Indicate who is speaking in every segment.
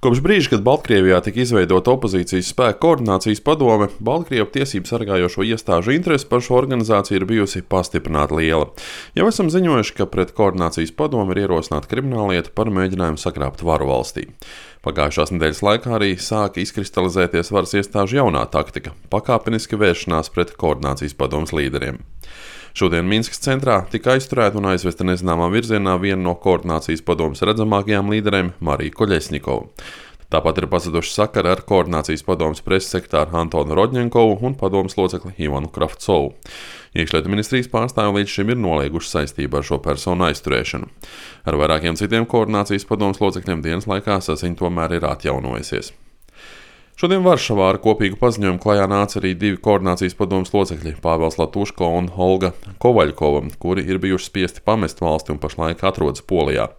Speaker 1: Kopš brīža, kad Baltkrievijā tika izveidota opozīcijas spēku koordinācijas padome, Baltkrievu tiesību sargājošo iestāžu interese par šo organizāciju ir bijusi pastiprināti liela. Jau esam ziņojuši, ka pret koordinācijas padomi ir ierosināta krimināllieta par mēģinājumu sagrābt varu valstī. Pagājušās nedēļas laikā arī sāka izkristalizēties varas iestāžu jaunā taktika – pakāpeniski vēršanās pret koordinācijas padomes līderiem. Šodien Minskas centrā tika aizturēta un aizvesta nezināmā virzienā viena no koordinācijas padomes redzamākajām līderēm – Marija Koļesņikova. Tāpat ir pazuduši sakari ar koordinācijas padomes preses sekretāru Antonu Rodņenkovu un padomes locekli Ivanu Kravcovu. Iekšlietu ministrijas pārstāvji līdz šim ir nolieguši saistību ar šo personu aizturēšanu. Ar vairākiem citiem koordinācijas padomes locekļiem dienas laikā saziņa tomēr ir atjaunojusies. Šodien Varšavā ar kopīgu paziņojumu klajā nāca arī divi koordinācijas padomes locekļi – Pāvels Latuško un Olga Kovaļkova, kuri ir bijuši spiesti pamest valsti un pašlaik atrodas Polijā.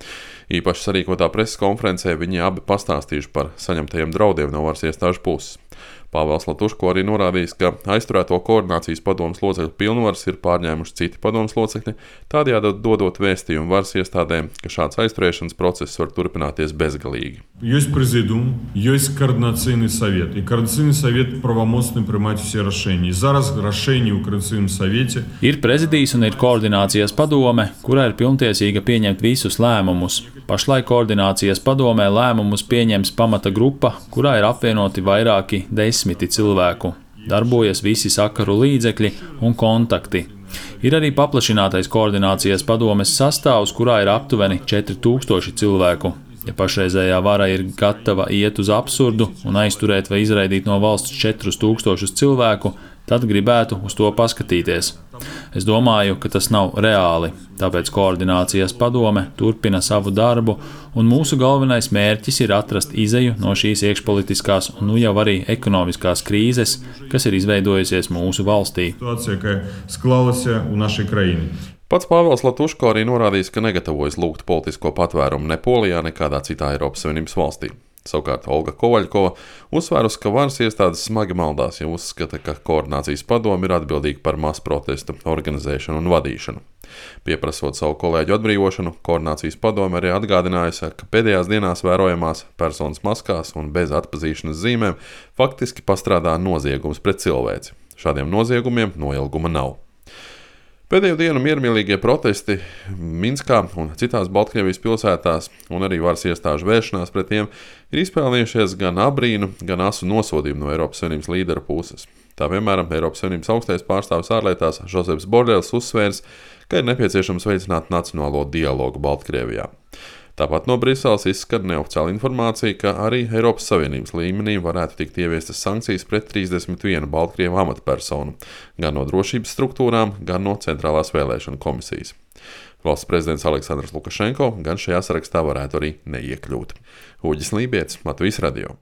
Speaker 1: Īpaši sarīkotā preses konferencē viņi abi pastāstījuši par saņemtajiem draudiem no varas iestāžu puses. Pāvels Latuško arī norādījis, ka aizturēto koordinācijas padomes locekļu pilnvaras ir pārņēmuši citi padomes locekļi, tādējādi dodot vēstījumu varas iestādēm, ka šāds aizturēšanas process var turpināties bezgalīgi.
Speaker 2: Есть президиум, есть координаційний совет. И координаційний совет правомочный принимать все решения. И зараз решение в координаційном совете.
Speaker 3: Ir prezidijs un ir koordinācijas padome, kurā ir pilntiesīga pieņemt visus lēmumus. Pašlaik koordinācijas padomē lēmumus pieņems pamata grupa, kurā ir apvienoti vairāki desmiti cilvēku. Darbojas visi sakaru līdzekļi un kontakti. Ir arī paplašinātais koordinācijas padomes sastāvs, kurā ir aptuveni 4000 cilvēku. Ja pašreizējā vara ir gatava iet uz absurdu un aizturēt vai izraidīt no valsts 4000 cilvēku, tad gribētu uz to paskatīties. Es domāju, ka tas nav reāli, tāpēc koordinācijas padome turpina savu darbu, un mūsu galvenais mērķis ir atrast izeju no šīs iekšpolitiskās un jau arī ekonomiskās krīzes, kas ir izveidojusies mūsu valstī.
Speaker 1: Pats Pāvels Latuško arī norādījis, ka negatavojas lūgt politisko patvērumu ne Polijā, ne kādā citā Eiropas Savienības valstī. Savukārt Olga Kovaļkova uzsvērusi, ka varas iestādes smagi maldās, ja uzskata, ka koordinācijas padome ir atbildīga par masu protestu organizēšanu un vadīšanu. Pieprasot savu kolēģu atbrīvošanu, koordinācijas padome arī atgādinājusi, ka pēdējās dienās vērojamās personas maskās un bez atpazīšanas zīmēm faktiski pastrādā noziegums pret cilvēci. Šādiem noziegumiem noilguma nav. Pēdējo dienu miermīlīgie protesti Minskā un citās Baltkrievijas pilsētās un arī varas iestāžu vēršanās pret tiem ir izpelnījušies gan abrīnu, gan asu nosodījumu no Eiropas Savienības līderu puses. Tā piemēram, Eiropas Savienības augstais pārstāvis ārlietās Žozeps Borels uzsvērs, ka ir nepieciešams veicināt nacionālo dialogu Baltkrievijā. Tāpat no Briseles izskan neoficiāla informācija, ka arī Eiropas Savienības līmenī varētu tikt ieviestas sankcijas pret 31 Baltkrievu amatpersonu, gan no drošības struktūrām, gan no Centrālās vēlēšanu komisijas. Valsts prezidents Aleksandrs Lukašenko gan šajā sarakstā varētu arī neiekļūt. Uģis Lībietis, Latvijas radio.